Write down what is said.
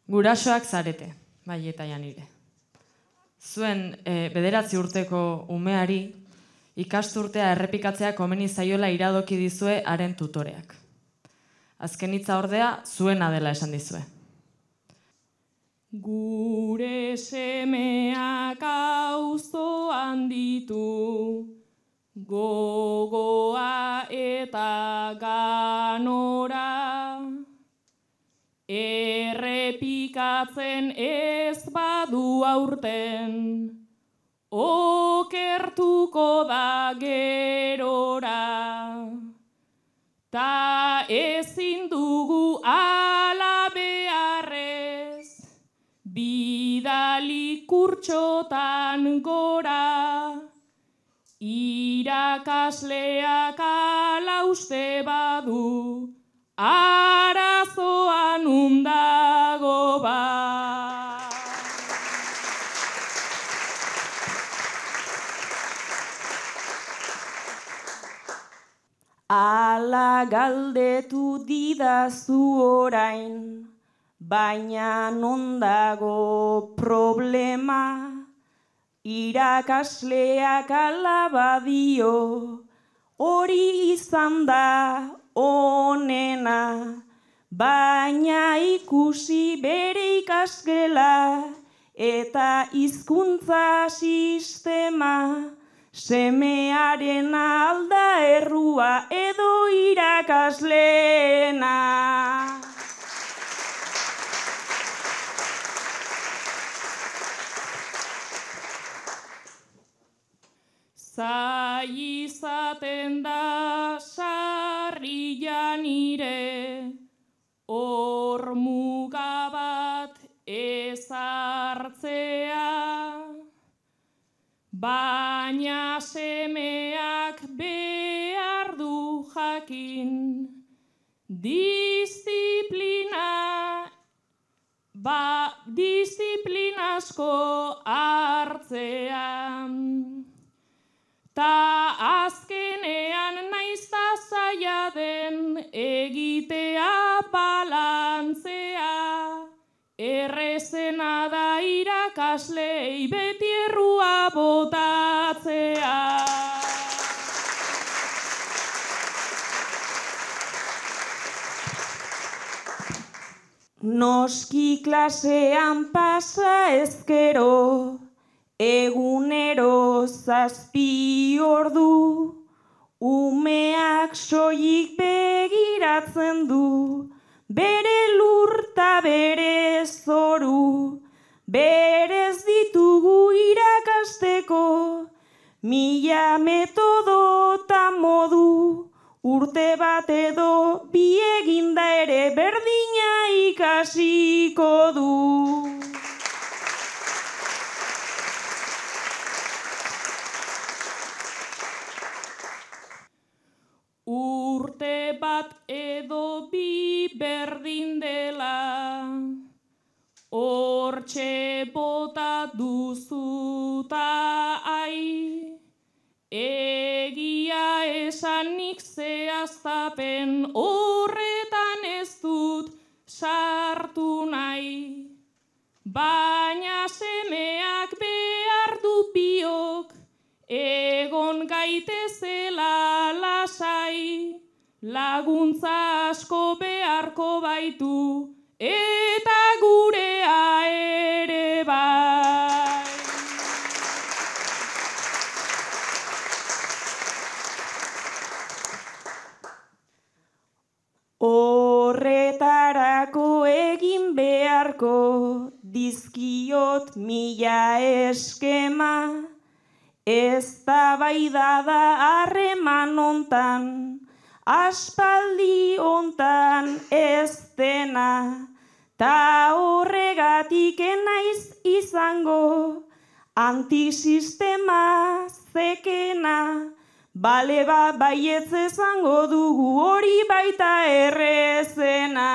Gurasoak zarete, bai eta Janire. Zuen 9 urteko umeari ikasturtea errepikatzea komeni zaiola iradoki dizue haren tutoreak. Azken hitza ordea zuena dela esan dizue. Gure semeak auzoan ditu, gogoa eta ganora, errepikatzen ez badu aurten, okertuko da gerora. Ta ezin dugu ala beharrez, bidali kurtsotan gora, irakasleak ala uste badu, arazoan undago ba. Ala galdetu didazu orain, baina non dago problema, irakasleak ala badio, hori izan da onena, baina ikusi bere ikasgela eta hizkuntza sistema, semearen alda errua edo irakasleena. Zai izaten da sarri Janire, hor muga bat ezartzea, baina semeak behar du jakin, disiplinazko hartzean. Ta azkenean naizta zaila den egitea balantzea, errezena da irakaslei beti errua botatzea. Noski klasean pasa ezkero, egunero 7 ordu, umeak soilik begiratzen du, bere lurta bere zoru, berez ditugu irakasteko, 1000 metodo ta modu, urte bat edo bi eginda ere berdina ikasiko du. Urte bat edo bi berdin dela, hortxe bota duzuta ai, egia esanik zehaztapen horretan ez dut sartu nahi, baina semeak behar du biok, egon gaitezela lasai, laguntza asko beharko baitu, eta gurea ere bai. Horretarako egin beharko dizkiot 1000 eskema, eztabaida da harreman hontan, aspaldi hontan ez dena, ta horregatik enaiz izango, antisistema zekena, bale baietz esango dugu hori baita errezena.